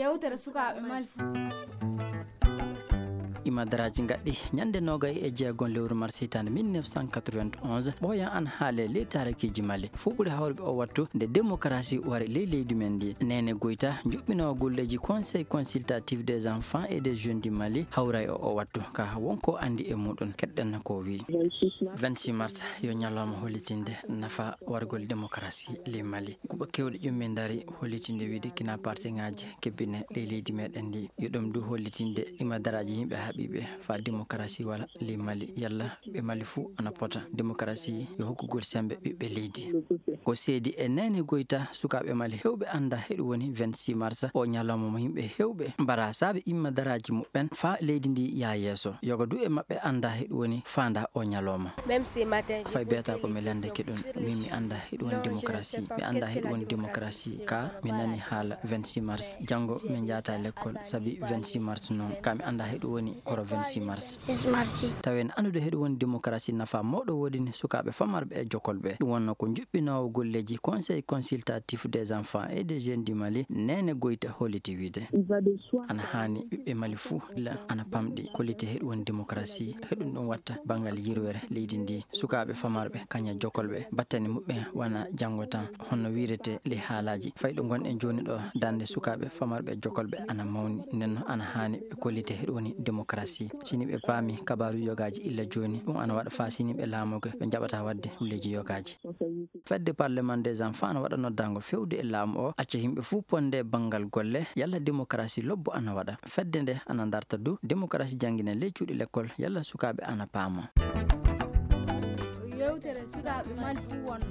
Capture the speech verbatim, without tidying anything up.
Yewtere sukaaɓe Mali. Imadaraaji ngaɗɗi ñande nogay e jeegon lewru mars hitaande mille neuf cent quatre-vingt-onze, ɓooyan ana haale ley taarikiiji Mali. Fof ɓuri hawruɓe o wattu nde démocratie wari ley leydi men ndi. Neene Goyta, juɓɓinoowo golleeji Conseil consultatif des enfants et des jeunes du Mali, hawra e o wattu. Ka wonko anndi e muɗum, keɗɗen ko wii. Vingt-six mars yo ñalawma hollitinde nafa wargol démocratie ley Mali. Kuuɓa keewɗi ƴummi ndari hollitinde wiide kina parti ŋaaji kebbine ley leydi meɗen ndi. Yo ɗum du hollitinde imadaraaji yimɓe haɓiiɓe fa démocratie wala ley Mali. Yalla ɓe Mali fuu ana pota démocratie yo hokkugol sembe ɓiɓɓe leydi. Ko seedi e Neene Goyta, sukaaɓe Mali hewɓe annda heɗum woni vingt-six mars, o ñalawma mo yimɓe hewɓe mbara saabe imadaraaji muɓɓen fa leydi ndi yaa yeeso. Yoga du e maɓɓe annda heɗum woni faanda o ñalawma. Fay beeta ko mi lande keɗum, min mi annda heɗum woni démocratie. Mi annda heɗum woni démocratie. Ka mi nani haala vingt-six mars. Janngo min njaata lekkol sabi vingt-six mars noon. Ka mi annda heɗum woni koro vingt-six mars. Tawen anndude heɗum woni démocratie nafa mawɗo woodini sukaaɓe famarɓe e jokolɓe. Ɗum wonno ko juɓɓinoowo golleeji Conseil consultatif des enfants et des jeunes du Mali, Neene Goyta holliti wiide. Ana haani ɓiɓɓe Mali fuu la ana pamɗi kollite heɗum woni démocratie, heɗum ɗum watta banngal yirwere leydi ndi. Sukaaɓe famarɓe kaña jokolɓe battane muɓɓen wana janngo tan honno wiirete ley haalaaji. Fay ɗo ngonɗen jooni ɗo darnde sukaaɓe famarɓe jokolɓe ana mawni, nden no ana haani ɓe kollite heɗum woni démocratie. Sini ɓe paami kabaaru yogaaji illa jooni, ɗum ana waɗa faa sini ɓe laamoge ɓe njaɓata waɗde hulleeji yogaaji. Fedde Parlement des enfants ana waɗa noddaango fewde e laamu o, acca yimɓe fuu ponde banngal golle, yalla démocratie lobbo ana waɗa. Fedde nde ana darta du démocratie janngina ley cuuɗi lekkol, yalla sukaaɓe ana paama. Yewtere sukaaɓe Mali fuu wonno.